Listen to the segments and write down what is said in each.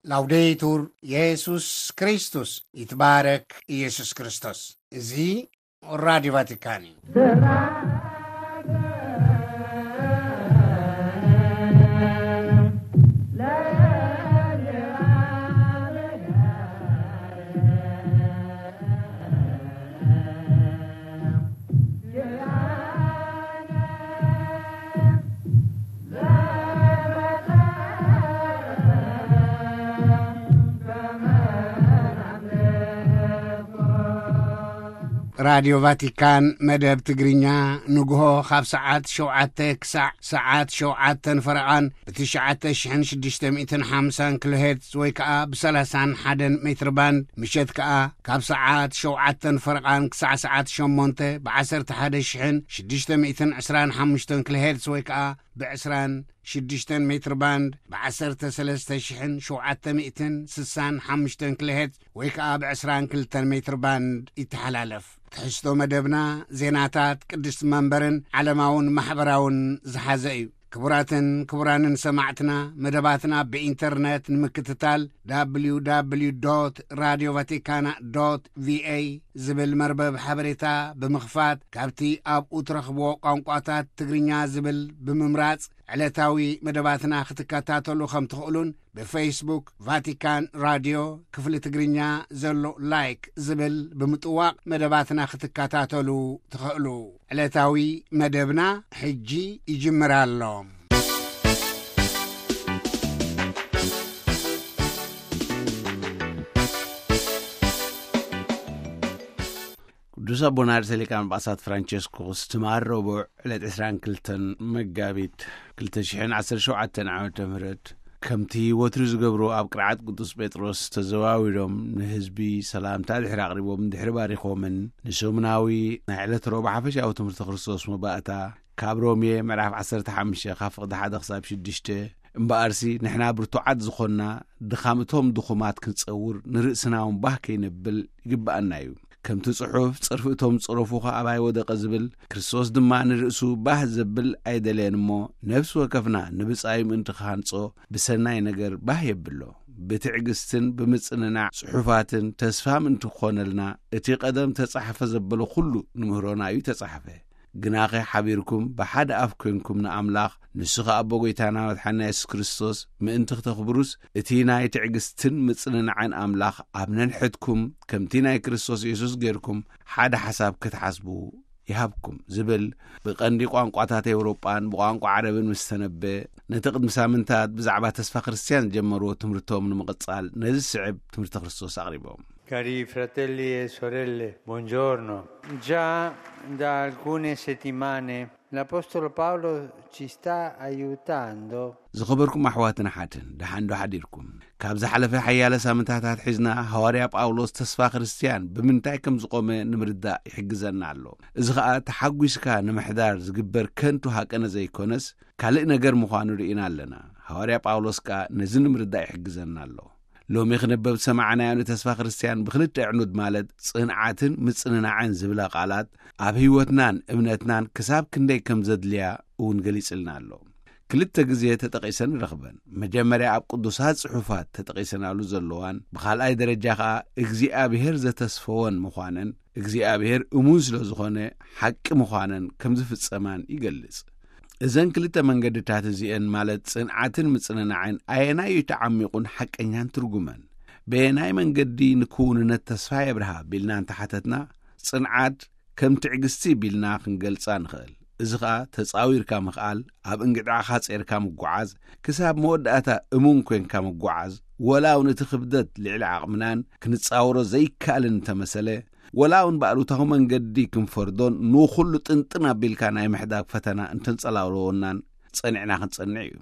ላውዴቱር የሱስ ክርስቶስ፣ ይትባረክ ኢየሱስ ክርስቶስ። እዚ ራዲዮ ቫቲካን እዩ። ራዲዮ ቫቲካን መደብ ትግርኛ ንግሆ ካብ ሰዓት ሸውዓተ ክሳዕ ሰዓት ሸውዓተን ፈረቓን ብትሽዓተ ሽሕን ሽዱሽተ ሚእትን ሓምሳን ኪሎ ሄርትዝ ወይ ከኣ ብሰላሳን ሓደን ሜትር ባንድ፣ ምሸት ከኣ ካብ ሰዓት ሸውዓተን ፈረቓን ክሳዕ ሰዓት ሸሞንተ ብዓሰርተ ሓደ ሽሕን ሽዱሽተ ሚእትን ዕስራን ሓሙሽተን ኪሎ ሄርትዝ ወይ ከኣ ብዕስራን ሽዱሽተን ሜትር ባንድ ብዓሰርተ ሰለስተ ሽሕን ሸውዓተ ሚእትን ስሳን ሓሙሽተን ኪሎ ሄርትዝ ወይ ከኣ ብዕስራን ክልተን ሜትር ባንድ ይተሓላለፍ። ትሕዝቶ መደብና ዜናታት ቅድስቲ መንበርን ዓለማውን ማሕበራውን ዝሓዘ እዩ። ክቡራትን ክቡራንን ሰማዕትና፣ መደባትና ብኢንተርነት ንምክትታል፣ www radio vaticana ቪኤ ዝብል መርበብ ሓበሬታ ብምኽፋት፣ ካብቲ ኣብኡ ትረኽብዎ ቋንቋታት ትግርኛ ዝብል ብምምራጽ፣ ዕለታዊ መደባትና ክትከታተሉ ከም ትኽእሉን፣ ብፌስቡክ ቫቲካን ራድዮ ክፍሊ ትግርኛ ዘሎ ላይክ ዝብል ብምጥዋቕ መደባትና ክትከታተሉ ትኽእሉ። ዕለታዊ መደብና ሕጂ ይጅምር ኣሎ። ቅዱስ ኣቦና ርእሰ ሊቃነ ጳጳሳት ፍራንቸስኮስ ትማል ረቡዕ ዕለት ዕስራን ክልተን መጋቢት ክልተ ሽሕን ዓሰርተ ሸውዓተን ዓመተ ምህረት፣ ከምቲ ወትሩ ዝገብሩ፣ ኣብ ቅርዓት ቅዱስ ጴጥሮስ ተዘዋዊሮም ንህዝቢ ሰላምታ ድሕሪ ኣቕሪቦም፣ ድሕሪ ባሪኾምን፣ ንሰሙናዊ ናይ ዕለት ረቡዕ ሓፈሻዊ ትምህርቲ ክርስቶስ መባእታ ካብ ሮሜ ምዕራፍ ዓሰርተ ሓሙሽተ ካብ ፍቕዲ ሓደ ክሳብ ሽዱሽተ፣ እምበኣርሲ ንሕና ብርቱዓት ዝኾንና፣ ድኻም እቶም ድኹማት ክንጸውር፣ ንርእስና እውን ባህ ከይነብል ይግብኣና እዩ። ከምቲ ጽሑፍ፣ "ጸርፊ እቶም ዝጸረፉኻ ኣባይ ወደቐ" ዝብል፣ ክርስቶስ ድማ ንርእሱ ባህ ዘብል ኣይደለየን እሞ፣ ነፍሲ ወከፍና ንብጻዩ ምእንቲ ክሃንጾ፣ ብሰናይ ነገር ባህ የብሎ። ብትዕግስትን ብምጽንናዕ ጽሑፋትን ተስፋ ምእንቲ ክኾነልና፣ እቲ ቀደም ተጻሕፈ ዘበሎ ኩሉ ንምህሮና እዩ ተጻሕፈ። ግናኸ ሓቢርኩም ብሓደ ኣፍ ኮይንኩም ንኣምላኽ፣ ንሱ ኸኣ ኣቦ ጐይታና መድሓኒና የሱስ ክርስቶስ ምእንቲ ክተኽብሩስ፣ እቲ ናይ ትዕግስትን ምጽንናዕን ኣምላኽ ኣብ ነንሕድኩም ከምቲ ናይ ክርስቶስ የሱስ ጌርኩም ሓደ ሓሳብ ክትሓስቡ ይሃብኩም ዝብል ብቐንዲ ቋንቋታት ኤውሮጳን ብቋንቋ ዓረብን ምስ ተነበ፣ ነቲ ቅድሚ ሳምንታት ብዛዕባ ተስፋ ክርስትያን ዝጀመርዎ ትምህርቶም ንምቕጻል ነዚ ዝስዕብ ትምህርቲ ክርስቶስ ኣቕሪቦም። Cari fratelli e sorelle, buongiorno. Già da alcune settimane l'Apostolo Paolo ci sta aiutando. ዝኸበርኩም ኣሕዋትን ኣሓትን፣ ደሓን ዶ ሓዲርኩም? ካብ ዝሓለፈ ሓያለ ሳምንታት ኣትሒዝና ሃዋርያ ጳውሎስ ተስፋ ክርስትያን ብምንታይ ከም ዝቖመ ንምርዳእ ይሕግዘና ኣሎ። እዚ ኸኣ ተሓጒስካ ንምሕዳር ዝግበር ከንቱ ሃቀነ ዘይኮነስ፣ ካልእ ነገር ምዃኑ ርኢና ኣለና። ሃዋርያ ጳውሎስ ከኣ ነዚ ንምርዳእ ይሕግዘና ኣሎ። ሎሚ ክነበብ ዝሰማዕናዮ ንተስፋ ክርስትያን ብኽልተ ኣዕኑድ፣ ማለት ጽንዓትን ምጽንናዕን ዝብላ ቃላት፣ ኣብ ህይወትናን እምነትናን ክሳብ ክንደይ ከም ዘድልያ እውን ገሊጽልና ኣሎ። ክልተ ግዜ ተጠቒሰን ንረኽበን። መጀመርያ ኣብ ቅዱሳት ጽሑፋት ተጠቒሰናሉ ዘለዋን፣ ብኻልኣይ ደረጃ ኸኣ እግዚኣብሔር ዘተስፈወን ምዃነን፣ እግዚኣብሔር እሙን ስለ ዝኾነ ሓቂ ምዃነን ከም ዝፍጸማን ይገልጽ። እዘን ክልተ መንገድታት እዚኤን፣ ማለት ጽንዓትን ምጽንናዕን፣ ኣየናይ እዩ ተዓሚቑን ሓቀኛን ትርጉመን? በየናይ መንገዲ ንክውንነት ተስፋ የብርሃ ቢልና እንተሓተትና፣ ጽንዓት ከም ትዕግስቲ ቢልና ክንገልጻ ንኽእል። እዚ ኸኣ ተጻዊርካ ምኽኣል፣ ኣብ እንግድዓኻ ጼርካ ምጉዓዝ፣ ክሳብ መወዳእታ እሙን ኮይንካ ምጉዓዝ፣ ወላ እውን እቲ ክብደት ልዕሊ ዓቕምናን ክንጻወሮ ዘይከኣልን እንተመሰለ፣ ወላ እውን ብኣሉታዊ መንገዲ ክንፈርዶን ንኹሉ ጥንጥን ኣቢልካ ናይ ምሕዳግ ፈተና እንተንጸላውለወናን ጸኒዕና ክንጸንዕ እዩ።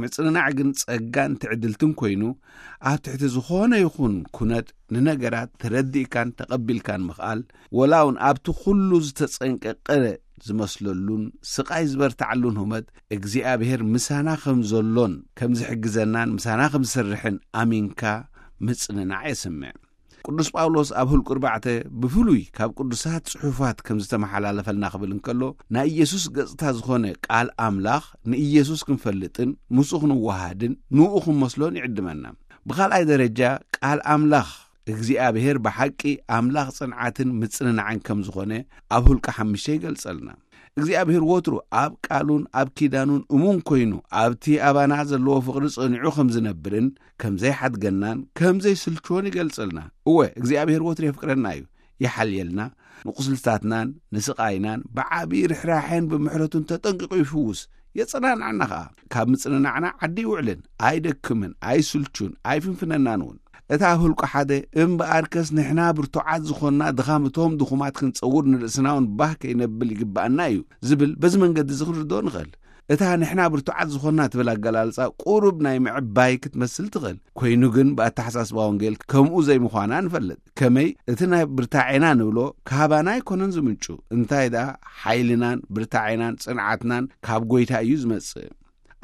ምጽንናዕ ግን ጸጋን ትዕድልትን ኮይኑ፣ ኣብ ትሕቲ ዝኾነ ይኹን ኩነት ንነገራት ተረዲእካን ተቐቢልካን ምኽኣል፣ ወላ እውን ኣብቲ ኩሉ ዝተጸንቀቀ ዝመስለሉን ስቓይ ዝበርትዓሉን ሁመት እግዚኣብሔር ምሳና ከም ዘሎን ከም ዝሕግዘናን ምሳና ከም ዝሰርሕን ኣሚንካ ምጽንናዕ የስምዕ። ቅዱስ ጳውሎስ ኣብ ሁልቁ ኣርባዕተ ብፍሉይ ካብ ቅዱሳት ጽሑፋት ከም ዝተመሓላለፈልና ክብል እንከሎ፣ ናይ ኢየሱስ ገጽታ ዝኾነ ቃል ኣምላኽ ንኢየሱስ ክንፈልጥን ምስኡ ክንወሃድን ንኡ ክንመስሎን ይዕድመና። ብኻልኣይ ደረጃ፣ ቃል ኣምላኽ እግዚኣብሔር ብሓቂ ኣምላኽ ጽንዓትን ምጽንናዕን ከም ዝኾነ ኣብ ሁልቂ ሓሙሽተ ይገልጸልና። እግዚኣብሔር ወትሩ ኣብ ቃሉን ኣብ ኪዳኑን እሙን ኮይኑ፣ ኣብቲ ኣባና ዘለዎ ፍቕሪ ጸኒዑ ከም ዝነብርን ከም ዘይሓድገናን ከም ዘይስልችዎን ይገልጸልና። እወ፣ እግዚኣብሔር ወትሩ የፍቅረና እዩ፣ ይሓልየልና። ንቁስልታትናን ንስቓይናን ብዓቢ ርሕራሐን ብምሕረቱን ተጠንቂቑ ይፍውስ፣ የጸናንዓና ኸኣ። ካብ ምጽንናዕና ዓዲ ይውዕልን፣ ኣይደክምን፣ ኣይስልቹን፣ ኣይፍንፍነናን እውን። እታ ኣብ ህልቆ ሓደ፣ እምበኣርከስ ንሕና ብርቱዓት ዝኾንና ድኻም እቶም ድኹማት ክንጸውር ንርእስና እውን ባህ ከይነብል ይግብኣና እዩ ዝብል በዚ መንገዲ እዚ ክንርድኦ ንኽእል። እታ ንሕና ብርቱዓት ዝኾንና ትብል ኣገላልጻ ቁሩብ ናይ ምዕባይ ክትመስል ትኽእል። ኮይኑ ግን ብኣተሓሳስባ ወንጌል ከምኡ ዘይምዃና ንፈልጥ። ከመይ እቲ ናይ ብርታዔና ንብሎ ካባና ኣይኮነን ዝምንጩ። እንታይ ደኣ ሓይልናን ብርታዔናን ጽንዓትናን ካብ ጐይታ እዩ ዝመጽእ።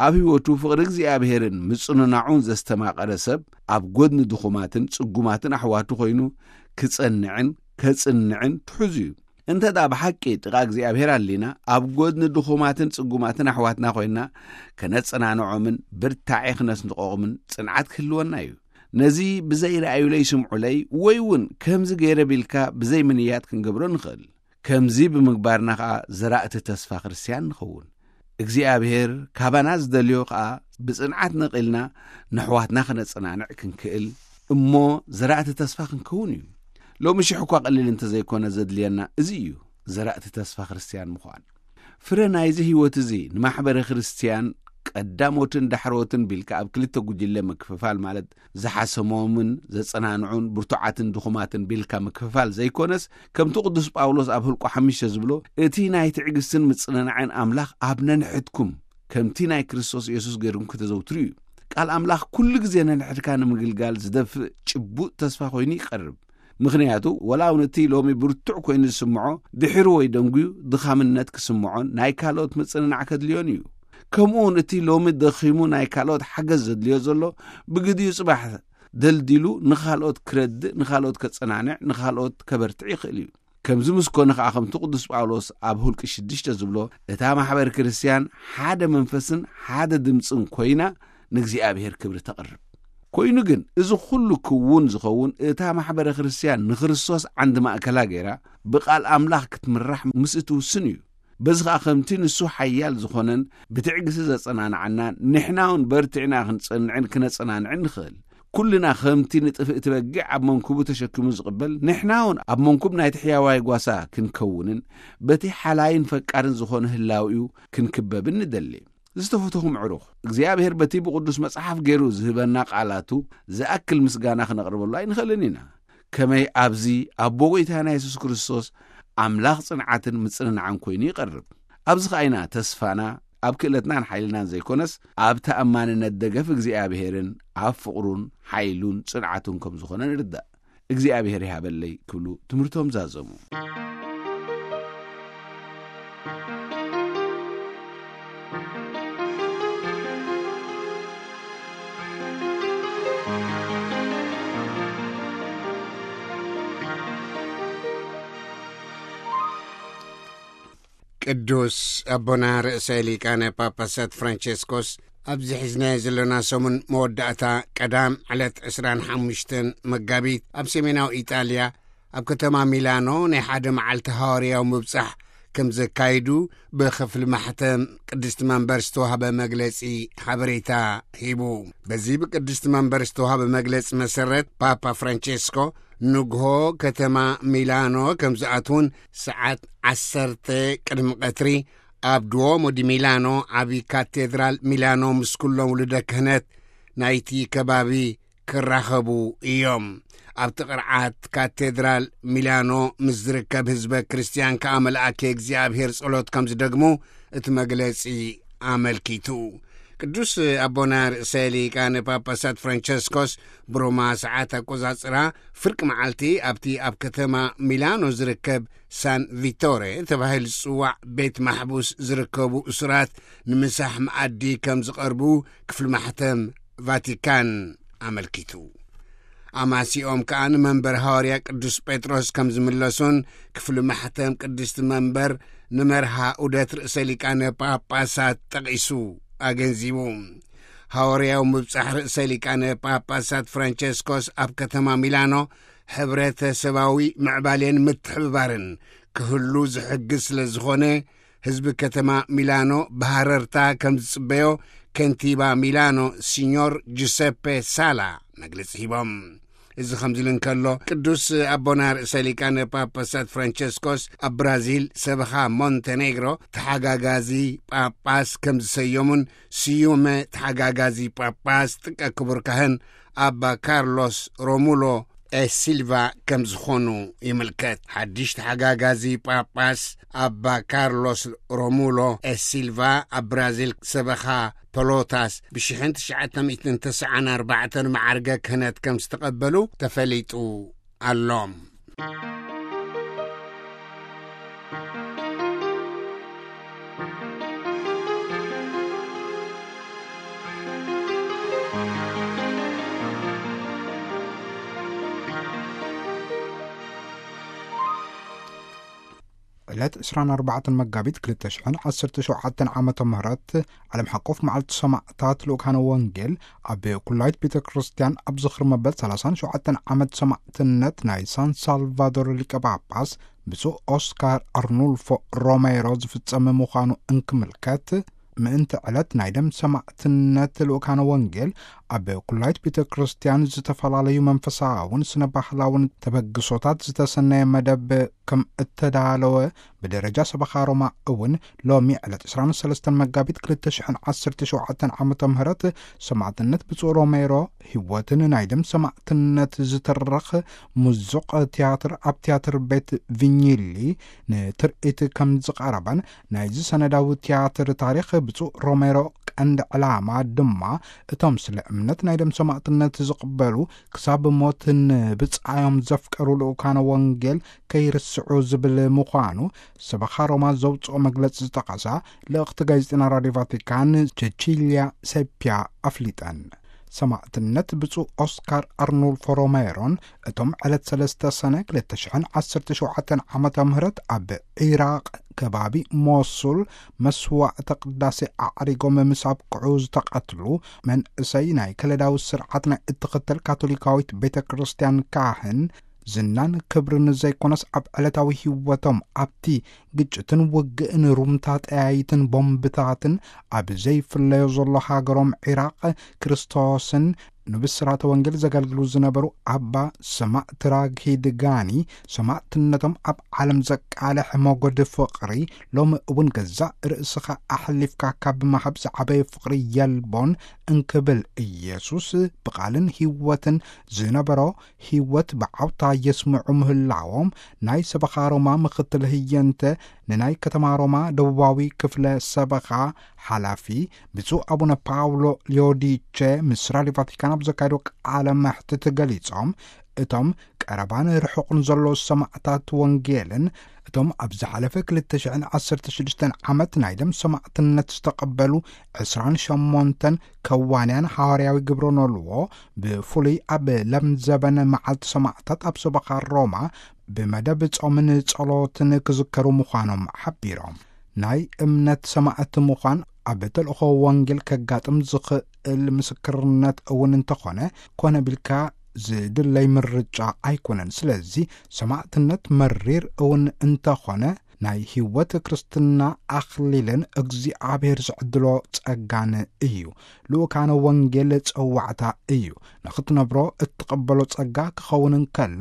ኣብ ህይወቱ ፍቕሪ እግዚኣብሔርን ምጽንናዑን ዘስተማቐረ ሰብ ኣብ ጐድኒ ድኹማትን ጽጉማትን ኣሕዋቱ ኮይኑ ክጸንዕን ከጽንዕን ትሑዝ እዩ። እንተ ደኣ ብሓቂ ጥቓ እግዚኣብሔር ኣሊና ኣብ ጐድኒ ድኹማትን ጽጉማትን ኣሕዋትና ኮይንና ከነጸናንዖምን ብርታዔ ክነስንቖምን ጽንዓት ክህልወና እዩ። ነዚ ብዘይረኣዩለይ ስምዑለይ ወይ እውን ከምዚ ገይረ ቢልካ ብዘይምንያት ክንገብሮ ንኽእል። ከምዚ ብምግባርና ኸኣ ዘራእቲ ተስፋ ክርስትያን ንኸውን። እግዚኣብሔር ካባና ዝደልዮ ኸኣ ብጽንዓት ነቒልና ነሕዋትና ክነጸናንዕ ክንክእል እሞ ዘራእቲ ተስፋ ክንከውን እዩ። ሎሚ ሽሕ እኳ ቀሊል እንተ ዘይኮነ ዘድልየና እዚ እዩ፣ ዘራእቲ ተስፋ ክርስትያን ምዃን። ፍረ ናይዚ ህይወት እዚ ንማሕበረ ክርስትያን ቀዳሞትን ዳሕሮትን ቢልካ ኣብ ክልተ ጉጅለ ምክፍፋል ማለት ዝሓሰሞምን ዘጸናንዑን ብርቱዓትን ድኹማትን ቢልካ ምክፍፋል ዘይኮነስ፣ ከምቲ ቅዱስ ጳውሎስ ኣብ ህልቆ ሓሙሽተ ዝብሎ፣ እቲ ናይ ትዕግስትን ምጽንናዕን ኣምላኽ ኣብ ነንሕድኩም ከምቲ ናይ ክርስቶስ የሱስ ገይርኩም ከተዘውትሩ እዩ። ቃል ኣምላኽ ኩሉ ግዜ ነንሕድካ ንምግልጋል ዝደፍእ ጭቡጥ ተስፋ ኮይኑ ይቐርብ። ምኽንያቱ፣ ወላ እውን እቲ ሎሚ ብርቱዕ ኮይኑ ዝስምዖ፣ ድሒሩ ወይ ደንጉዩ ድኻምነት ክስምዖን ናይ ካልኦት ምጽንናዕ ከድልዮን እዩ። ከምኡ እውን እቲ ሎሚ ደኺሙ ናይ ካልኦት ሓገዝ ዘድልዮ ዘሎ፣ ብግዲኡ ጽባሕ ደልዲሉ ንኻልኦት ክረድእ፣ ንኻልኦት ከጸናንዕ፣ ንኻልኦት ከበርትዕ ይኽእል እዩ። ከምዚ ምስ ኮነ ኸኣ፣ ከምቲ ቅዱስ ጳውሎስ ኣብ ሁልቂ ሽዱሽተ ዝብሎ፣ እታ ማሕበር ክርስትያን ሓደ መንፈስን ሓደ ድምጽን ኮይና ንእግዚኣብሔር ክብሪ ተቕርብ። ኮይኑ ግን፣ እዚ ኹሉ ክውን ዝኸውን፣ እታ ማሕበረ ክርስትያን ንክርስቶስ ዓንዲ ማእከላ ገይራ ብቓል ኣምላኽ ክትምራሕ ምስ እትውስን እዩ። በዚ ኸኣ፣ ከምቲ ንሱ ሓያል ዝኾነን ብትዕግስቲ ዘጸናንዓናን፣ ንሕና እውን በርቲዕና ክንጸንዕን ክነጸናንዕን ንኽእል። ኩልና ከምቲ ንጥፍእቲ በጊዕ ኣብ መንኩቡ ተሸኪሙ ዝቕበል፣ ንሕና እውን ኣብ መንኩብ ናይቲ ሕያዋይ ጓሳ ክንከውንን በቲ ሓላይን ፈቃርን ዝኾነ ህላዊኡ ክንክበብን ንደሊ። ዝተፈተኹም ዕሩኽ፣ እግዚኣብሔር በቲ ብቅዱስ መጽሓፍ ገይሩ ዝህበና ቃላቱ ዝኣክል ምስጋና ክነቕርበሉ ኣይንኽእልን ኢና። ከመይ ኣብዚ ኣቦ ጐይታና የሱስ ክርስቶስ ኣምላኽ ጽንዓትን ምጽንናዕን ኮይኑ ይቐርብ። ኣብዚ ኸኣ ኢና ተስፋና ኣብ ክእለትናን ሓይልናን ዘይኮነስ፣ ኣብ ተኣማንነት ደገፍ እግዚኣብሔርን ኣብ ፍቕሩን ሓይሉን ጽንዓቱን ከም ዝኾነ ንርዳእ። እግዚኣብሔር ይሃበለይ ክብሉ ትምህርቶም ዛዘሙ። ቅዱስ ኣቦና ርእሰ ሊቃነ ጳጳሳት ፍራንቸስኮስ ኣብዚ ሒዝናዮ ዘለና ሰሙን መወዳእታ ቀዳም ዕለት ዕስራን ሓሙሽተን መጋቢት ኣብ ሰሜናዊ ኢጣልያ ኣብ ከተማ ሚላኖ ናይ ሓደ መዓልቲ ሃዋርያዊ ምብጻሕ ከም ዘካይዱ ብክፍሊ ማሕተም ቅድስቲ መንበር ዝተዋህበ መግለጺ ሓበሬታ ሂቡ። በዚ ብቅድስቲ መንበር ዝተዋህበ መግለጺ መሰረት፣ ፓፓ ፍራንቸስኮ ንግሆ ከተማ ሚላኖ ከም ዝኣትዉን ሰዓት ዓሰርተ ቅድሚ ቀትሪ ኣብ ድዎሞ ዲ ሚላኖ ዓቢ ካቴድራል ሚላኖ ምስ ኩሎም ውሉደ ክህነት ናይቲ ከባቢ ክራኸቡ እዮም። ኣብቲ ቅርዓት ካቴድራል ሚላኖ ምስ ዝርከብ ህዝበ ክርስትያን ከኣ መልኣከ እግዚኣብሔር ጸሎት ከም ዝደግሙ እቲ መግለጺ ኣመልኪቱ። ቅዱስ ኣቦና ርእሰ ሊቃነ ጳጳሳት ፍራንቸስኮስ ብሮማ ሰዓት ኣቆጻጽራ ፍርቂ መዓልቲ ኣብቲ ኣብ ከተማ ሚላኖ ዝርከብ ሳን ቪቶሬ ተባሂሉ ዝጽዋዕ ቤት ማሕቡስ ዝርከቡ እሱራት ንምሳሕ መኣዲ ከም ዝቐርቡ ክፍሊ ማሕተም ቫቲካን ኣመልኪቱ። ኣማሲኦም ከኣ ንመንበር ሃዋርያ ቅዱስ ጴጥሮስ ከም ዝምለሱን ክፍሊ ማሕተም ቅድስቲ መንበር ንመርሃ ዑደት ርእሰ ሊቃነ ጳጳሳት ጠቒሱ ኣገንዚቡ። ሃዋርያዊ ምብጻሕ ርእሰ ሊቃነ ጳጳሳት ፍራንቸስኮስ ኣብ ከተማ ሚላኖ ሕብረተሰባዊ ምዕባሌን ምትሕብባርን ክህሉ ዝሕግዝ ስለ ዝኾነ፣ ህዝቢ ከተማ ሚላኖ ብሃረርታ ከም ዝጽበዮ ከንቲባ ሚላኖ ሲኞር ጁሰፔ ሳላ መግለጺ ሂቦም። እዚ ከምዚ ኢሉ እንከሎ፣ ቅዱስ ኣቦና ርእሰ ሊቃነ ጳጳሳት ፍራንቸስኮስ ኣብ ብራዚል ሰበኻ ሞንቴኔግሮ ተሓጋጋዚ ጳጳስ ከም ዝሰየሙን፣ ስዩመ ተሓጋጋዚ ጳጳስ ጥቀ ክቡር ካህን ኣባ ካርሎስ ሮሙሎ ኤ ሲልቫ ከም ዝኾኑ ይምልከት። ሓድሽ ተሓጋጋዚ ጳጳስ ኣባ ካርሎስ ሮሙሎ ኤ ሲልቫ ኣብ ብራዚል ሰበኻ ፐሎታስ ብ ሽሕን ትሽዓተ ሚእትን ተስዓን ኣርባዕተን መዓርገ ክህነት ከም ዝተቐበሉ ተፈሊጡ ኣሎ። ዕለት ዕስራን ኣርባዕተን መጋቢት ክልተ ሽሕን ዓሰርተ ሸውዓተን ዓመተ ምህረት ዓለም ሓቆፍ መዓልቲ ሰማዕታት ልኡካነ ወንጌል ኣብ ኩላይት ቤተ ክርስቲያን ኣብ ዝኽሪ መበል ሰላሳን ሸውዓተን ዓመት ሰማዕትነት ናይ ሳን ሳልቫዶር ሊቀ ጳጳስ ብፁዕ ኦስካር ኣርኑልፎ ሮሜሮ ዝፍጸም ምዃኑ እንክምልከት፣ ምእንቲ ዕለት ናይ ደም ሰማዕትነት ልኡካነ ወንጌል ኣብ ኩላይት ቤተ ክርስቲያን ዝተፈላለዩ መንፈሳውን ስነ ባህላውን ተበግሶታት ዝተሰነየ መደብ ከም እተዳለወ ብደረጃ ሰበኻ ሮማ እውን ሎሚ ዕለት ዕስራን ሰለስተን መጋቢት ክልተ ሽሕን ዓሰርተ ሸውዓተን ዓመተ ምህረት ሰማዕትነት ብፁዕ ሮሜሮ ህይወትን ናይ ደም ሰማዕትነት ዝተረኽ ምዙቕ ትያትር ኣብ ትያትር ቤት ቪኝሊ ንትርኢት ከም ዝቐረበን፣ ናይዚ ሰነዳዊ ትያትር ታሪኽ ብፁዕ ሮሜሮ ቀንዲ ዕላማ ድማ እቶም ስለ እምነት ናይ ደም ሰማዕትነት ዝቕበሉ ክሳብ ሞት ንብጻዮም ዘፍቀሩ ልኡካነ ወንጌል ከይርስዑ ዝብል ምዃኑ ሰበኻ ሮማ ዘውጽኦ መግለጺ ዝጠቐሳ ልእኽቲ ጋዜጠና ራድዮ ቫቲካን ቸቺልያ ሴፒያ ኣፍሊጠን። ሰማዕትነት ብፁዕ ኦስካር ኣርኑልፎ ሮሜሮን እቶም ዕለት ሰለስተ ሰነ ክልተ ሽሕን ዓሰርተ ሸውዓተን ዓመተ ምህረት ኣብ ዒራቕ ከባቢ ሞሱል መስዋዕተ ቅዳሴ ኣዕሪጎም ምስ ኣብቅዑ ዝተቐትሉ መንእሰይ ናይ ከለዳዊ ስርዓት ናይ እትኽተል ካቶሊካዊት ቤተ ክርስቲያን ካህን ዝናን ክብርን ዘይኮነስ ኣብ ዕለታዊ ህይወቶም ኣብቲ ግጭትን ውግእን ሩምታ ጠያይትን ቦምብታትን ኣብ ዘይፍለዮ ዘሎ ሃገሮም ዒራቕ ክርስቶስን ንብስራተ ወንጌል ዘገልግሉ ዝነበሩ ኣባ ሰማዕት ራጊድ ጋኒ ሰማዕትነቶም ኣብ ዓለም ዘቃልሕ ሞገድ ፍቕሪ ሎሚ እውን ገዛእ ርእስኻ ኣሕሊፍካ ካብ ምሃብ ዝዓበየ ፍቕሪ የልቦን እንክብል ኢየሱስ ብቓልን ህይወትን ዝነበሮ ህይወት ብዓውታ የስምዑ ምህላዎም ናይ ሰበኻ ሮማ ምኽትል ህየንተ ንናይ ከተማ ሮማ ደቡባዊ ክፍለ ሰበኻ ሓላፊ ብፁዕ ኣቡነ ፓውሎ ሊዮዲቸ ምስ ራድዮ ቫቲካን ኣብ ዘካየዶ ቃለ መሕትት ገሊጾም፣ እቶም ቀረባን ርሑቕን ዘሎ ሰማዕታት ወንጌልን እቶም ኣብ ዝሓለፈ ክልተ ሽሕን ዓሰርተ ሽዱሽተን ዓመት ናይ ደም ሰማዕትነት ዝተቐበሉ ዕስራን ሸሞንተን ከዋንያን ሃዋርያዊ ግብረ ኖልዎ ብፍሉይ ኣብ ለምዘበን መዓልቲ ሰማዕታት ኣብ ሰበኻ ሮማ ብመደብ ጾምን ጸሎትን ክዝከሩ ምዃኖም ሓቢሮም። ናይ እምነት ሰማዕቲ ምዃን ኣብ ተልእኾ ወንጌል ከጋጥም ዝኽእል ምስክርነት እውን እንተኾነ፣ ኮነ ቢልካ ዝድለይ ምርጫ ኣይኮነን። ስለዚ ሰማዕትነት መሪር እውን እንተኾነ፣ ናይ ህይወት ክርስትና ኣኽሊልን እግዚኣብሔር ዝዕድሎ ጸጋን እዩ። ልኡካነ ወንጌል ጸዋዕታ እዩ። ንኽትነብሮ እትቐበሎ ጸጋ ክኸውን እንከሎ፣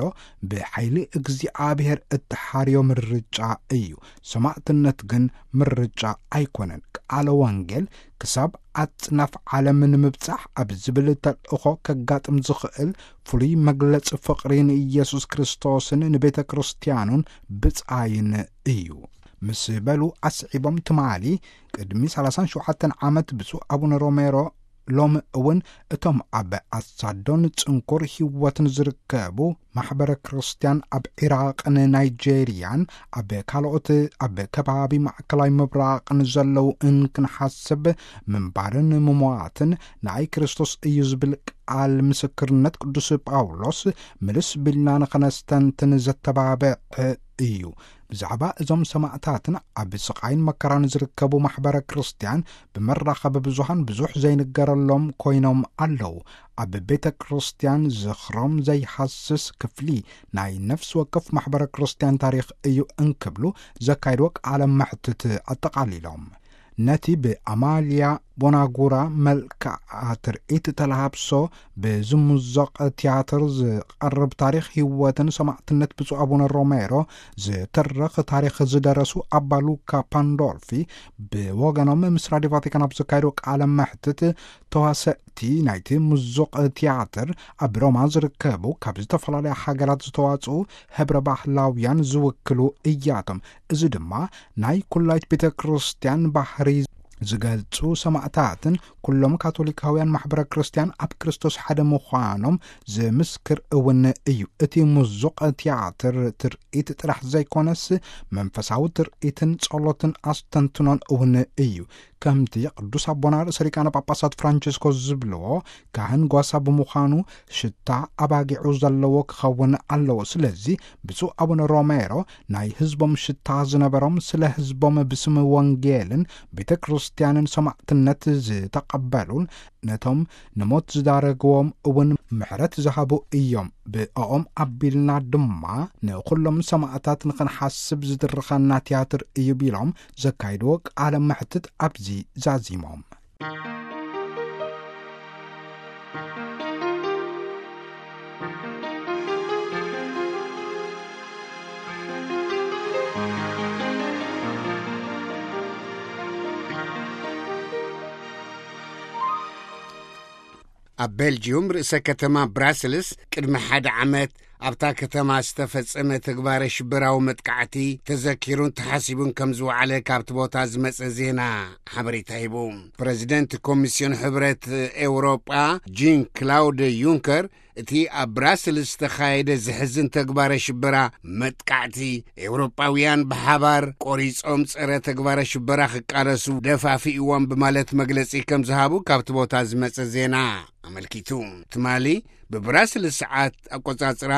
ብሓይሊ እግዚኣብሔር እትሓርዮ ምርጫ እዩ። ሰማዕትነት ግን ምርጫ ኣይኮነን። ቃለ ወንጌል ክሳብ ኣጽናፍ ዓለም ንምብጻሕ ኣብ ዝብል ተልእኾ ከጋጥም ዝኽእል ፍሉይ መግለጺ ፍቕሪ ንኢየሱስ ክርስቶስን ንቤተ ክርስቲያኑን ብጻይን እዩ። ምስ በሉ ኣስዒቦም፣ ትማሊ ቅድሚ ሰላሳን ሸውዓተን ዓመት ብፁዕ ኣቡነ ሮሜሮ ሎሚ እውን እቶም ኣብ ኣሳዶን ጽንኩር ህይወትን ዝርከቡ ማሕበረ ክርስቲያን ኣብ ዒራቕን ናይጄርያን ኣብ ካልኦት ኣብ ከባቢ ማእከላይ ምብራቕን ዘለዉ እንክንሓስብ ምንባርን ምሟትን ንኣይ ክርስቶስ እዩ ዝብል ቃል ምስክርነት ቅዱስ ጳውሎስ ምልስ ቢልና ንኸነስተንትን ዘተባብዕ እዩ። ብዛዕባ እዞም ሰማዕታትን ኣብ ስቓይን መከራን ዝርከቡ ማሕበረ ክርስቲያን ብመራኸቢ ብዙሃን ብዙሕ ዘይንገረሎም ኮይኖም ኣለዉ። ኣብ ቤተ ክርስቲያን ዝኽሮም ዘይሃስስ ክፍሊ ናይ ነፍሲ ወከፍ ማሕበረ ክርስቲያን ታሪኽ እዩ እንክብሉ ዘካይድዎ ቃለ መሕትት ኣጠቓሊሎም። ነቲ ብኣማልያ ቦናጉራ መልክዓ ትርኢት ተላሃብሶ ብዝምዞቕ ትያትር ዝቐርብ ታሪኽ ህይወትን ሰማዕትነት ብፁዕ ኣቡነ ሮሜሮ ዝትርኽ ታሪኽ ዝደረሱ ኣባ ሉካ ፓንዶልፊ ብወገኖም ምስ ራድዮ ቫቲካን ኣብ ዘካየዱ ቃለ መሕትት፣ ተዋሰእቲ ናይቲ ምዙቕ ትያትር ኣብ ሮማ ዝርከቡ ካብ ዝተፈላለያ ሃገራት ዝተዋጽኡ ህብረ ባህላውያን ዝውክሉ እያቶም። እዚ ድማ ናይ ኩላይት ቤተ ክርስቲያን ባህሪ ዝገልጹ ሰማዕታትን ኩሎም ካቶሊካውያን ማሕበረ ክርስቲያን ኣብ ክርስቶስ ሓደ ምዃኖም ዝምስክር እውን እዩ። እቲ ምዙቕ ትያትር ትርኢት ጥራሕ ዘይኮነስ መንፈሳዊ ትርኢትን ጸሎትን ኣስተንትኖን እውን እዩ። ከምቲ ቅዱስ ኣቦና ርእሰ ሊቃነ ጳጳሳት ፍራንቸስኮ ዝብልዎ፣ ካህን ጓሳ ብምዃኑ ሽታ ኣባጊዑ ዘለዎ ክኸውን ኣለዎ። ስለዚ ብፁዕ ኣቡነ ሮሜሮ ናይ ህዝቦም ሽታ ዝነበሮም፣ ስለ ህዝቦም ብስም ወንጌልን ቤተ ክርስቲያንን ሰማዕትነት ዝተቐበሉን ነቶም ንሞት ዝዳረግዎም እውን ምሕረት ዝሃቡ እዮም። ብኦም ኣቢልና ድማ ንኹሎም ሰማዕታት ንኽንሓስብ ዝድርኸና ትያትር እዩ ቢሎም ዘካይድዎ ቃለ መሕትት ኣብዚ ዛዚሞም። ኣብ ቤልጅዩም ርእሰ ከተማ ብራስልስ ቅድሚ ሓደ ዓመት ኣብታ ከተማ ዝተፈጸመ ተግባረ ሽበራዊ መጥቃዕቲ ተዘኪሩን ተሓሲቡን ከም ዝወዓለ ካብቲ ቦታ ዝመጸ ዜና ሓበሬታ ሂቡ። ፕረዚደንት ኮሚስዮን ሕብረት ኤውሮጳ ጂን ክላውድ ዩንከር እቲ ኣብ ብራስልስ ዝተኻየደ ዝሕዝን ተግባረ ሽበራ መጥቃዕቲ ኤውሮጳውያን ብሓባር ቆሪጾም ጸረ ተግባረ ሽበራ ክቃለሱ ደፋፊእዎም ብማለት መግለጺ ከም ዝሃቡ ካብቲ ቦታ ዝመጸ ዜና ኣመልኪቱ። ትማሊ ብብራስልስ ሰዓት ኣቆጻጽራ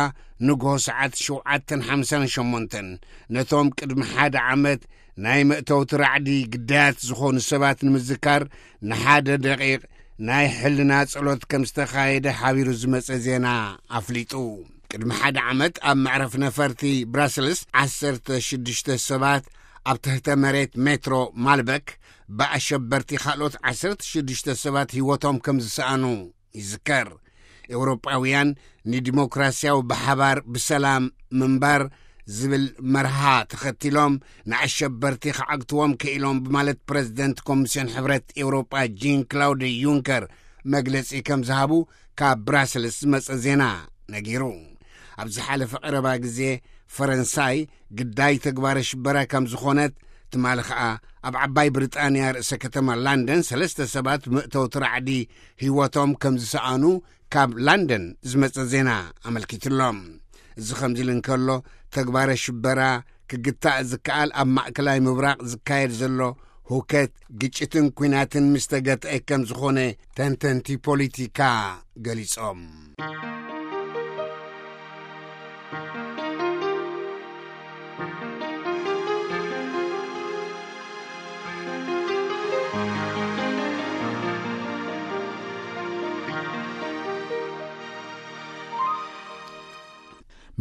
ንግሆ ሰዓት ሸውዓተን ሓምሳን ሸሞንተን ነቶም ቅድሚ ሓደ ዓመት ናይ መእተውቲ ራዕዲ ግዳያት ዝኾኑ ሰባት ንምዝካር ንሓደ ደቂቕ ናይ ሕልና ጸሎት ከም ዝተኻየደ ሓቢሩ ዝመጸ ዜና ኣፍሊጡ። ቅድሚ ሓደ ዓመት ኣብ መዕረፍ ነፈርቲ ብራስልስ ዓሰርተ ሽዱሽተ ሰባት ኣብ ትሕተ መሬት ሜትሮ ማልበክ ብኣሸበርቲ ካልኦት ዓሰርተ ሽዱሽተ ሰባት ህይወቶም ከም ዝሰኣኑ ይዝከር። ኤውሮጳውያን ንዲሞክራሲያዊ ብሓባር ብሰላም ምንባር ዝብል መርሃ ተኸቲሎም ንኣሸበርቲ ክዓግትዎም ክኢሎም ብማለት ፕረዚደንት ኮሚስዮን ሕብረት ኤውሮጳ ጂን ክላውድ ዩንከር መግለጺ ከም ዝሃቡ ካብ ብራስልስ ዝመጸ ዜና ነጊሩ። ኣብ ዝሓለፈ ቀረባ ግዜ ፈረንሳይ ግዳይ ተግባረ ሽበራ ከም ዝኾነት፣ ትማሊ ኸኣ ኣብ ዓባይ ብሪጣንያ ርእሰ ከተማ ላንደን ሰለስተ ሰባት መእተውቲ ራዕዲ ህይወቶም ከም ዝሰኣኑ ካብ ላንደን ዝመጸ ዜና ኣመልኪቱሎም። እዚ ከምዚ ኢሉ እንከሎ፣ ተግባረ ሽበራ ክግታእ ዝከኣል ኣብ ማእከላይ ምብራቕ ዝካየድ ዘሎ ሁከት፣ ግጭትን ኲናትን ምስ ተገትአ ከም ዝኾነ ተንተንቲ ፖሊቲካ ገሊጾም።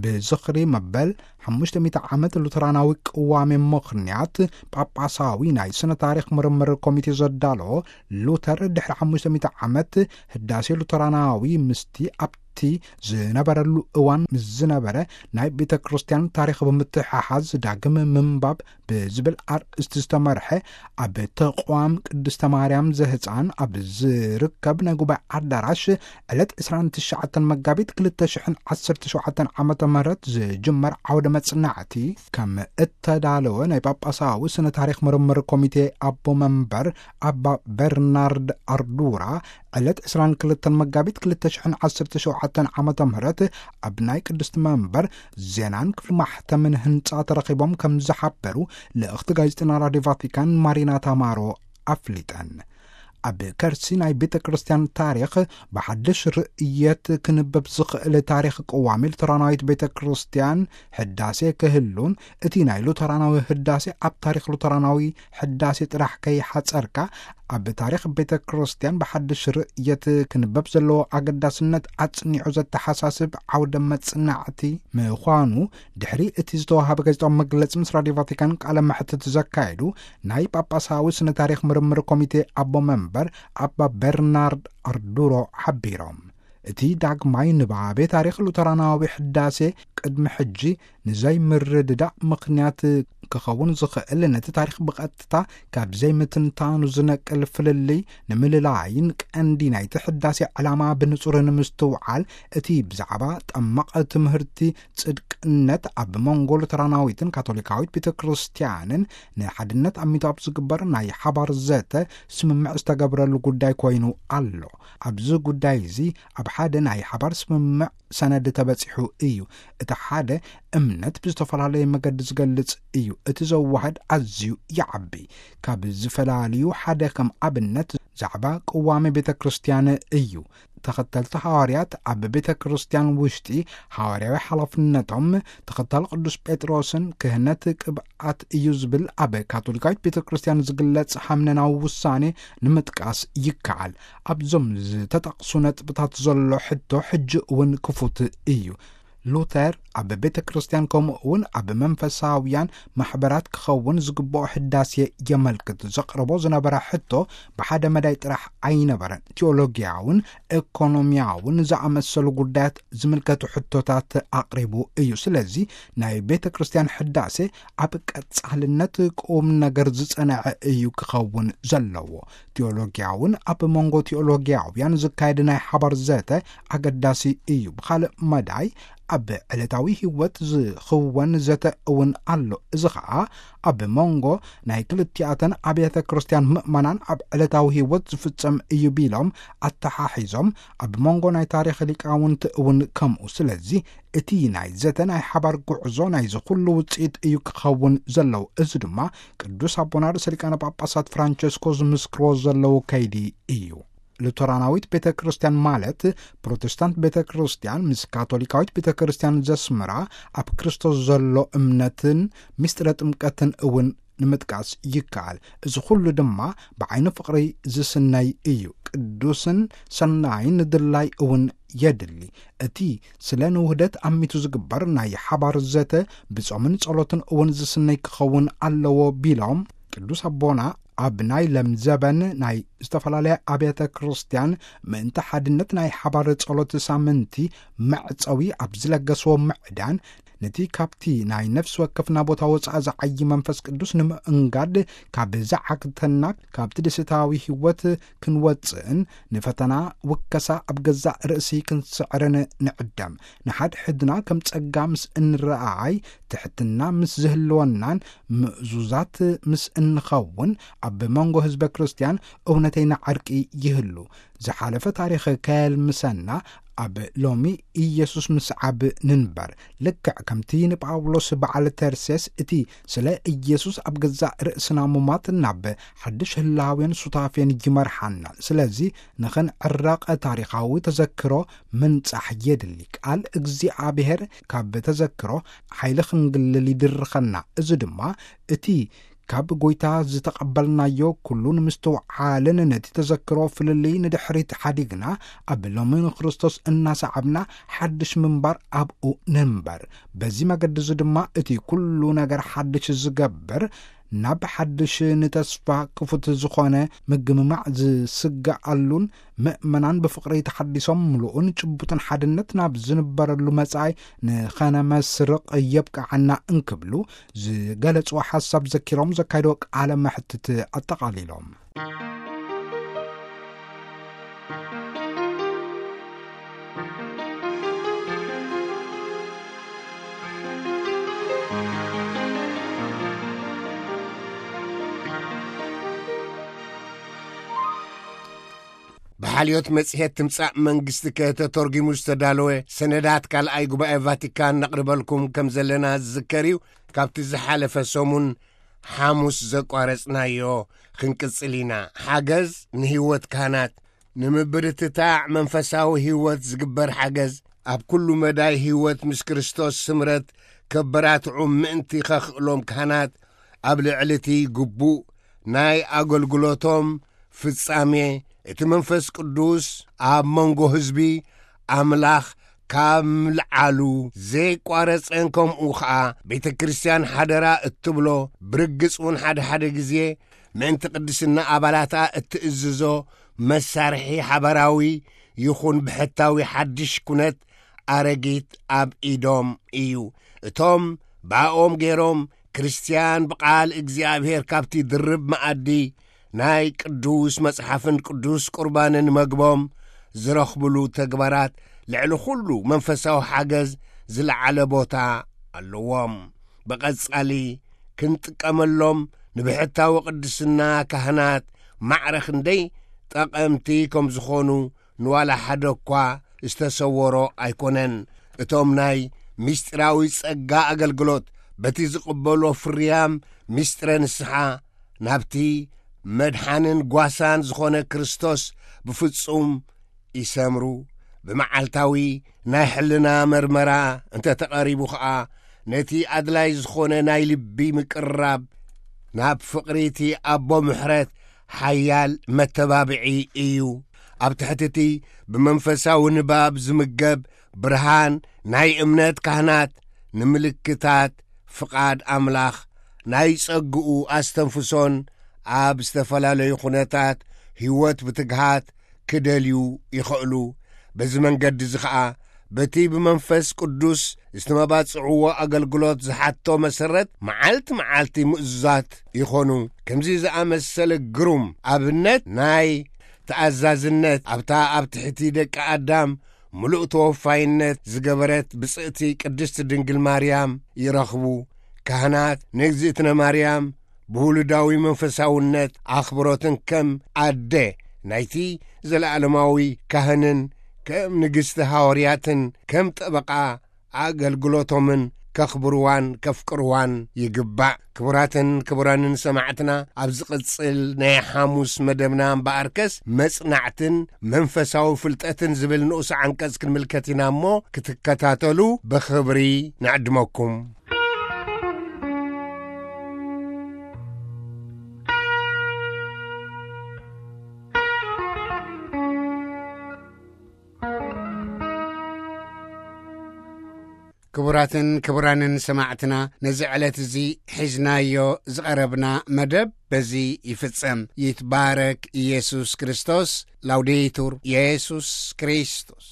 ብዝኽሪ መበል ሓሙሽተ ሚእቲ ዓመት ሉተራናዊ ቅዋሜ ምኽንያት፣ ጳጳሳዊ ናይ ስነ ታሪኽ ምርምር ኮሚቴ ዘዳለዎ፣ ሉተር ድሕሪ ሓሙሽተ ሚእቲ ዓመት ህዳሴ ሉተራናዊ ምስቲ ኣብቲ ዝነበረሉ እዋን ምስ ዝነበረ ናይ ቤተ ክርስቲያን ታሪኽ ብምትሕሓዝ ዳግም ምንባብ ብዝብል ኣርእስቲ ዝተመርሐ፣ ኣብ ተቋም ቅድስተ ማርያም ዘህፃን ኣብ ዝርከብ ናይ ጉባኤ ኣዳራሽ ዕለት ዕስራን ትሽዓተን መጋቢት ክልተ ሽሕን ዓሰርተ ሸውዓተን ዓመተ ምህረት ዝጅመር ዓውደ መጽናዕቲ ከም እተዳለወ ናይ ጳጳሳዊ ስነ ታሪኽ ምርምር ኮሚቴ ኣቦ መንበር ኣባ በርናርድ ኣርዱራ ዕለት ዕስራን ክልተን መጋቢት ክልተ ሽሕን ዓሰርተ ሸውዓተን ዓመተ ምህረት ኣብ ናይ ቅድስቲ መንበር ዜናን ክፍሊ ማሕተምን ህንጻ ተረኺቦም ከም ዝሓበሩ ልእኽቲ ጋዜጠና ራድዮ ቫቲካን ማሪና ታማሮ ኣፍሊጠን። ኣብ ከርሲ ናይ ቤተ ክርስቲያን ታሪኽ ብሓድሽ ርእየት ክንበብ ዝኽእል ታሪኽ ቅዋሜ ሉተራናዊት ቤተ ክርስቲያን ሕዳሴ ክህሉን፣ እቲ ናይ ሉተራናዊ ህዳሴ ኣብ ታሪኽ ሉተራናዊ ሕዳሴ ጥራሕ ከይሓጸርካ፣ ኣብ ታሪኽ ቤተ ክርስቲያን ብሓድሽ ርእየት ክንበብ ዘለዎ ኣገዳስነት ኣጽኒዑ ዘተሓሳስብ ዓውደ መጽናዕቲ ምዃኑ፣ ድሕሪ እቲ ዝተዋሃበ ጋዜጣዊ መግለጺ ምስ ራድዮ ቫቲካን ቃለ መሕትት ዘካየዱ ናይ ጳጳሳዊ ስነ ታሪኽ ምርምር ኮሚቴ ኣቦ መንበር ኣባ በርናርድ ኣርዱሮ ሓቢሮም። እቲ ዳግማይ ንባቤ ታሪኽ ሉተራናዊ ሕዳሴ ቅድሚ ሕጂ ንዘይምርድዳእ ምኽንያት ክኸውን ዝኽእል፣ ነቲ ታሪኽ ብቐጥታ ካብ ዘይምትንታኑ ዝነቅል ፍልልይ ንምልላይን ቀንዲ ናይቲ ሕዳሴ ዕላማ ብንጹር ንምስትውዓል፣ እቲ ብዛዕባ ጠመቕ ትምህርቲ ጽድቅነት ኣብ መንጎ ሉተራናዊትን ካቶሊካዊት ቤተ ክርስቲያንን ንሓድነት ኣሚቱ ኣብ ዝግበር ናይ ሓባር ዘተ ስምምዕ ዝተገብረሉ ጉዳይ ኮይኑ ኣሎ። ኣብዚ ጉዳይ እዚ ኣብ ሓደ ናይ ሓባር ስምምዕ ሰነድ ተበጺሑ እዩ። እቲ ሓደ እምነት ብዝተፈላለየ መገዲ ዝገልጽ እዩ። እቲ ዘዋህድ ኣዝዩ ይዓቢ። ካብ ዝፈላልዩ ሓደ ከም ኣብነት ዛዕባ ቅዋሜ ቤተ ክርስቲያን እዩ። ተኸተልቲ ሃዋርያት ኣብ ቤተ ክርስቲያን ውሽጢ ሃዋርያዊ ሓላፍነቶም ተኸታሊ ቅዱስ ጴጥሮስን ክህነት ቅብኣት እዩ ዝብል ኣብ ካቶሊካዊት ቤተ ክርስቲያን ዝግለጽ ሃምነናዊ ውሳኔ ንምጥቃስ ይከኣል። ኣብዞም ዝተጠቕሱ ነጥብታት ዘሎ ሕቶ ሕጂ እውን ክፉት እዩ። ሉተር ኣብ ቤተ ክርስቲያን ከምኡ እውን ኣብ መንፈሳውያን ማሕበራት ክኸውን ዝግብኦ ሕዳሴ የመልክት። ዘቕርቦ ዝነበረ ሕቶ ብሓደ መዳይ ጥራሕ ኣይነበረን። ቲዮሎጊያውን ኤኮኖሚያውን ዝኣመሰሉ ጉዳያት ዝምልከቱ ሕቶታት ኣቕሪቡ እዩ። ስለዚ ናይ ቤተ ክርስቲያን ሕዳሴ ኣብ ቀጻልነት ቁም ነገር ዝጸንዐ እዩ ክኸውን ዘለዎ። ቲዮሎጊያውን ኣብ መንጎ ቲዮሎጊያውያን ዝካየድ ናይ ሓባር ዘተ ኣገዳሲ እዩ። ብኻልእ መዳይ ኣብ ዕለታዊ ህይወት ዝኽወን ዘተ እውን ኣሎ። እዚ ኸኣ ኣብ መንጎ ናይ ክልቲኣተን ኣብያተ ክርስቲያን ምእመናን ኣብ ዕለታዊ ህይወት ዝፍጸም እዩ ቢሎም ኣተሓሒዞም፣ ኣብ መንጎ ናይ ታሪኽ ሊቃውንቲ እውን ከምኡ። ስለዚ እቲ ናይ ዘተ ናይ ሓባር ጉዕዞ ናይዚ ኩሉ ውጽኢት እዩ ክኸውን ዘለዎ። እዚ ድማ ቅዱስ ኣቦና ርእሰ ሊቃነ ጳጳሳት ፍራንቸስኮ ዝምስክርዎ ዘለዉ ከይዲ እዩ። ሉተራናዊት ቤተ ክርስቲያን ማለት ፕሮቴስታንት ቤተ ክርስቲያን ምስ ካቶሊካዊት ቤተ ክርስቲያን ዘስምራ ኣብ ክርስቶስ ዘሎ እምነትን ምስጢረ ጥምቀትን እውን ንምጥቃስ ይከኣል። እዚ ኩሉ ድማ ብዓይኒ ፍቕሪ ዝስነይ እዩ። ቅዱስን ሰናይን ድላይ እውን የድሊ። እቲ ስለ ንውህደት ኣሚቱ ዝግበር ናይ ሓባር ዘተ ብጾምን ጸሎትን እውን ዝስነይ ክኸውን ኣለዎ ቢሎም፣ ቅዱስ ኣቦና ኣብ ናይ ለምዘበን ናይ ዝተፈላለያ ኣብያተ ክርስቲያን ምእንቲ ሓድነት ናይ ሓባር ጸሎት ሳምንቲ መዕጸዊ ኣብ ዝለገስዎ ምዕዳን፣ ነቲ ካብቲ ናይ ነፍሲ ወከፍና ቦታ ወጻኢ ዝዓዪ መንፈስ ቅዱስ ንምእንጋድ፣ ካብ ዝዓግተና ካብቲ ደስታዊ ህይወት ክንወጽእን ንፈተና ውከሳ ኣብ ገዛእ ርእሲ ክንስዕርን ንዕደም። ንሓድሕድና ከም ጸጋ ምስ እንረኣይ፣ ትሕትና ምስ ዝህልወናን ምእዙዛት ምስ እንኸውን፣ ኣብ መንጎ ህዝበ ክርስቲያን እውነተይና ዓርቂ ይህሉ። ዝሓለፈ ታሪኽ ከየልምሰና፣ ኣብ ሎሚ ኢየሱስ ምስዓብ ንንበር። ልክዕ ከምቲ ንጳውሎስ በዓል ተርሴስ እቲ ስለ ኢየሱስ ኣብ ገዛእ ርእስና ሙማት ናብ ሓድሽ ህላዌን ሱታፌን ይመርሓና። ስለዚ ንኽንዕረቕ ታሪኻዊ ተዘክሮ ምንጻሕ የድሊ። ቃል እግዚኣብሔር ካብ ተዘክሮ ሓይሊ ክንግልል ይድርኸና። እዚ ድማ እቲ ካብ ጐይታ ዝተቐበልናዮ ኩሉ ንምስትውዓልን ነቲ ተዘክሮ ፍልልይ ንድሕሪት ሓዲግና ኣብ ሎሚ ንክርስቶስ እናሰዓብና ሓድሽ ምንባር ኣብኡ ንንበር። በዚ መገዲ እዚ ድማ እቲ ኩሉ ነገር ሓድሽ ዝገብር፣ ናብ ሓድሽ ንተስፋ ክፉት ዝኾነ ምግምማዕ ዝስጋኣሉን ምእመናን ብፍቕሪ ተሓዲሶም ምሉእን ጭቡጥን ሓድነት ናብ ዝንበረሉ መጻኢ ንኸነመስርቕ የብቅዓና እንክብሉ ዝገለጽዎ ሓሳብ ዘኪሮም ዘካየድዎ ቃለ መሕትት ኣጠቓሊሎም። ብሓልዮት መጽሔት ትምጻእ መንግስቲ ከተተርጒሙ ዝተዳለወ ሰነዳት ካልኣይ ጉባኤ ቫቲካን ነቕርበልኩም ከም ዘለና ዝዝከር እዩ። ካብቲ ዝሓለፈ ሰሙን ሓሙስ ዘቋረጽናዮ ክንቅጽል ኢና። ሓገዝ ንህይወት ካህናት። ንምብርትታዕ መንፈሳዊ ህይወት ዝግበር ሓገዝ፣ ኣብ ኩሉ መዳይ ህይወት ምስ ክርስቶስ ስምረት ከበራትዑ ምእንቲ ከኽእሎም፣ ካህናት ኣብ ልዕሊ እቲ ግቡእ ናይ ኣገልግሎቶም ፍጻሜ፣ እቲ መንፈስ ቅዱስ ኣብ መንጎ ህዝቢ ኣምላኽ ካብ ምልዓሉ ዘይቋረጸን፣ ከምኡ ኸኣ ቤተ ክርስቲያን ሓደራ እትብሎ ብርግጽ እውን ሓደ ሓደ ግዜ ምእንቲ ቅድስና ኣባላታ እትእዝዞ መሳርሒ ሓባራዊ ይኹን ብሕታዊ ሓድሽ ኩነት ኣረጊት ኣብ ኢዶም እዩ። እቶም ብኣኦም ገይሮም ክርስትያን ብቓል እግዚኣብሔር ካብቲ ድርብ መኣዲ ናይ ቅዱስ መጽሓፍን ቅዱስ ቁርባንን መግቦም ዝረኽብሉ ተግባራት ልዕሊ ኩሉ መንፈሳዊ ሓገዝ ዝለዓለ ቦታ ኣለዎም። ብቐጻሊ ክንጥቀመሎም ንብሕታዊ ቅድስና ካህናት ማዕረ ክንደይ ጠቐምቲ ከም ዝኾኑ ንዋላ ሓደ እኳ ዝተሰወሮ ኣይኮነን። እቶም ናይ ምስጢራዊ ጸጋ ኣገልግሎት በቲ ዝቕበሎ ፍርያም ምስጢረ ንስሓ ናብቲ መድሓንን ጓሳን ዝኾነ ክርስቶስ ብፍጹም ይሰምሩ። ብመዓልታዊ ናይ ሕልና መርመራ እንተ ተቐሪቡ ኸኣ፣ ነቲ ኣድላይ ዝኾነ ናይ ልቢ ምቅርራብ ናብ ፍቕሪ እቲ ኣቦ ምሕረት ሓያል መተባብዒ እዩ። ኣብ ትሕቲ እቲ ብመንፈሳዊ ንባብ ዝምገብ ብርሃን ናይ እምነት ካህናት ንምልክታት ፍቓድ ኣምላኽ ናይ ጸግኡ ኣስተንፍሶን ኣብ ዝተፈላለዩ ኩነታት ህይወት ብትግሃት ክደልዩ ይኽእሉ። በዚ መንገዲ እዚ ኸኣ በቲ ብመንፈስ ቅዱስ ዝተመባጽዕዎ ኣገልግሎት ዝሓቶ መሰረት መዓልቲ መዓልቲ ምእዙዛት ይኾኑ። ከምዚ ዝኣመሰለ ግሩም ኣብነት ናይ ተኣዛዝነት ኣብታ ኣብ ትሕቲ ደቂ ኣዳም ምሉእ ተወፋይነት ዝገበረት ብጽእቲ ቅድስቲ ድንግል ማርያም ይረኽቡ። ካህናት ንእግዝእትነ ማርያም ብውሉዳዊ መንፈሳውነት ኣኽብሮትን ከም ኣደ ናይቲ ዘለኣለማዊ ካህንን ከም ንግስቲ ሃዋርያትን ከም ጠበቓ ኣገልግሎቶምን ከኽብርዋን ከፍቅርዋን ይግባእ። ክቡራትን ክቡራንን ሰማዕትና፣ ኣብ ዝቕጽል ናይ ሓሙስ መደብና እምበኣርከስ መጽናዕትን መንፈሳዊ ፍልጠትን ዝብል ንኡስ ዓንቀጽ ክንምልከት ኢና እሞ ክትከታተሉ ብኽብሪ ንዕድመኩም። ክቡራትን ክቡራንን ሰማዕትና፣ ነዚ ዕለት እዚ ሒዝናዮ ዝቐረብና መደብ በዚ ይፍጸም። ይትባረክ ኢየሱስ ክርስቶስ። ላውዴቱር ኢየሱስ ክርስቶስ።